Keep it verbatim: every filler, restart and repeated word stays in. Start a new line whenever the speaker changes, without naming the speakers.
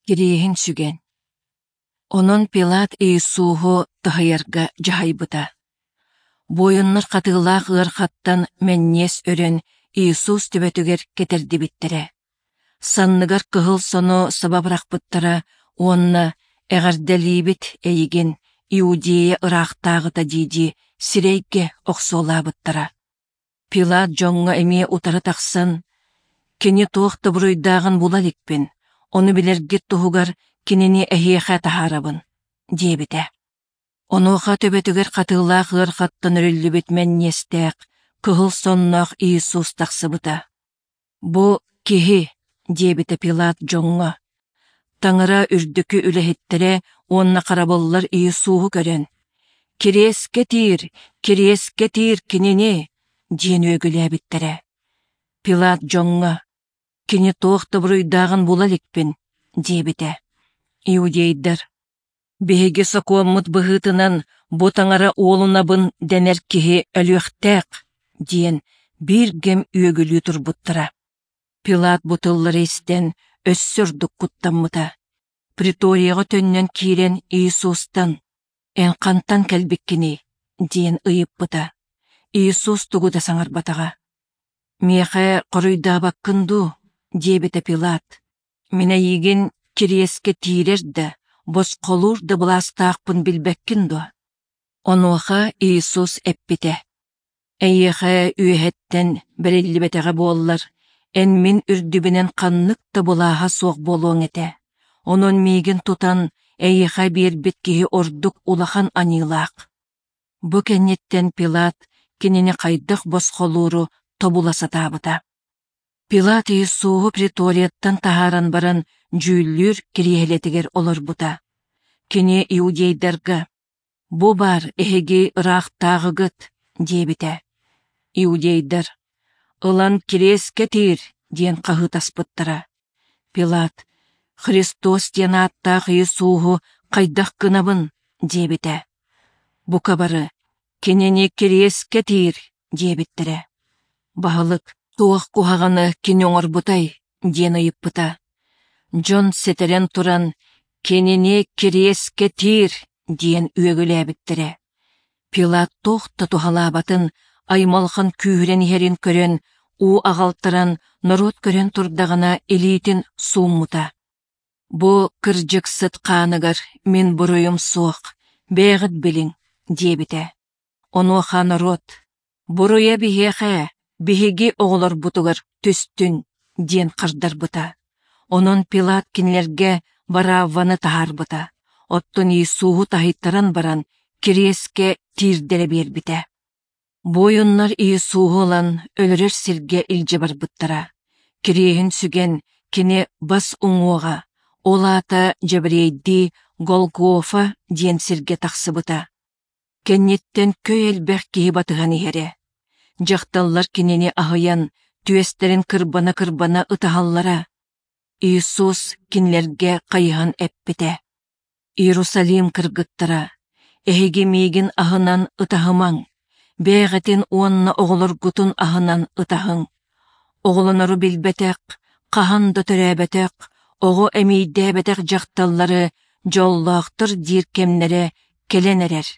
Кириэһин сүгэн. Онон Пилат Иисуһу таһыйарга дьаһайбыта. Буойуннар хатыылаах ыархаттан мэнньиэс өрөн Иисус төбөтүгэр кэтэрдибиттэрэ. Санныгар кыһыл сону саба бырахпыттара уонна «Эҕэрдэлиибит эйигин, Иудея ыраахтааҕыта» дии-дии сирэйгэ охсуолаабыттара. Пилат дьоҥҥо эмиэ утары тахсан, «Кини туох да буруйдааҕын була иликпин, ону билэргит туһугар кинини эһиэхэ таһаарабын» диэбитэ. Онуоха төбөтүгэр хатыылаах ыархаттан өрүллүбүт мэнньиэстээх, кыһыл сонноох Иисус тахсыбыта. «Бу киһи», диэбитэ Пилат дьоҥҥо. Таҥара үрдүкү үлэһиттэрэ уонна харабыллар Иисуһу көрөн, «Кириэскэ тиир, кириэскэ тиир кинини!» диэн үөгүлээбиттэрэ. Пилат дьоҥҥо, «Кини туох да буруйдааҕын була иликпин», диэбитэ. Иудейдар, «Биһиги сокуоммут быһыытынан бу таҥара уолунабын дэнэр киһи өлүөхтээх», диэн биир кэм үөгүлүү турбуттара. Пилат бу тыллары истэн өссө ордук куттаммыта. Преторияҕа төннөн киирэн Иисустан «Эн хантан кэлбиккиний?» диэн ыйыппыта. Иисус тугу да саҥарбатаҕа. «Миэхэ хоруйдаабаккын дуу?» диэбитэ Пилат. «Мин эйигин кириэскэ тиирэр да, босхолуур да былаастаахпын билбэккин дуо?» Онуоха Иисус эппитэ: «Эйиэхэ үөһэттэн бэриллибэтэҕэ буоллар, эн мин үрдүбүнэн ханнык да былааһа суох буолуоҥ этэ. Онон миигин тутан эйиэхэ биэрбит киһи ордук улахан аньыылаах». Бу кэнниттэн Пилат кинини хайдах босхолууру тобула сатаабыта. Пилат Иисуһу преторияттан таһааран баран дьүүллүүр кириэһилэтигэр олорбута. Кини иудейдарга «Бу баар эһиги ыраахтааҕыгыт» диэбитэ. Иудейдар «Ылан кириэскэ тиир» диэн хаһыытаспыттара. Пилат «Христос диэн ааттаах Иисуһу хайдах гынабын?» диэбитэ. Бука бары «Кинини кириэскэ тиир» диэбиттэрэ. Баһылык «Туох куһаҕаны кини оҥорбутай?» диэн ыйыппыта. Дьон сэтэрэн туран «Кинини кириэскэ тиир» диэн үөгүлээбиттэрэ. Пилат туох да туһалаабатын, аймалҕан күүһүрэн иһэрин көрөн, уу аҕалтаран, норуот көрөн турдаҕына илиитин сууммута. «Бу кырдьыксыт хааныгар мин буруйум суох, бэйэҕит билиҥ» диэбитэ. Онуоха норуот «Буруйа биһиэхэ, биһиги оҕолорбутугар түстүн» диэн хардарбыта. Онон Пилат кинилэргэ Варавваны таһаарбыта, оттон Иисуһу таһыйтаран баран кириэскэ тиирдэрэ биэрбитэ. Буойуннар Иисуһу ылан өлөрөр сиргэ илдьэ барбыттара. Кириэһин сүгэн кини бас уҥуоҕа, ол аата дьэбириэйдии Голгофа диэн сиргэ тахсыбыта. Кэнниттэн көй элбэх киһи батыһан иһэрэ. Дьахталлар кинини аһыйан, түөстэрин кырбана-кырбана ытаһаллара. Иисус кинилэргэ хайыһан эппитэ: «Иерусалим кыргыттара, эһиги миигин аһынан ытаһымаҥ, бэйэҕитин уонна оҕолоргутун аһынан ытаһыҥ. Оҕолонору билбэтэх, хаһан да төрөөбөтөх, оҕо эмиийдээбэтэх дьахталлары дьоллоохтор диир кэмнэрэ кэлэн эрэр.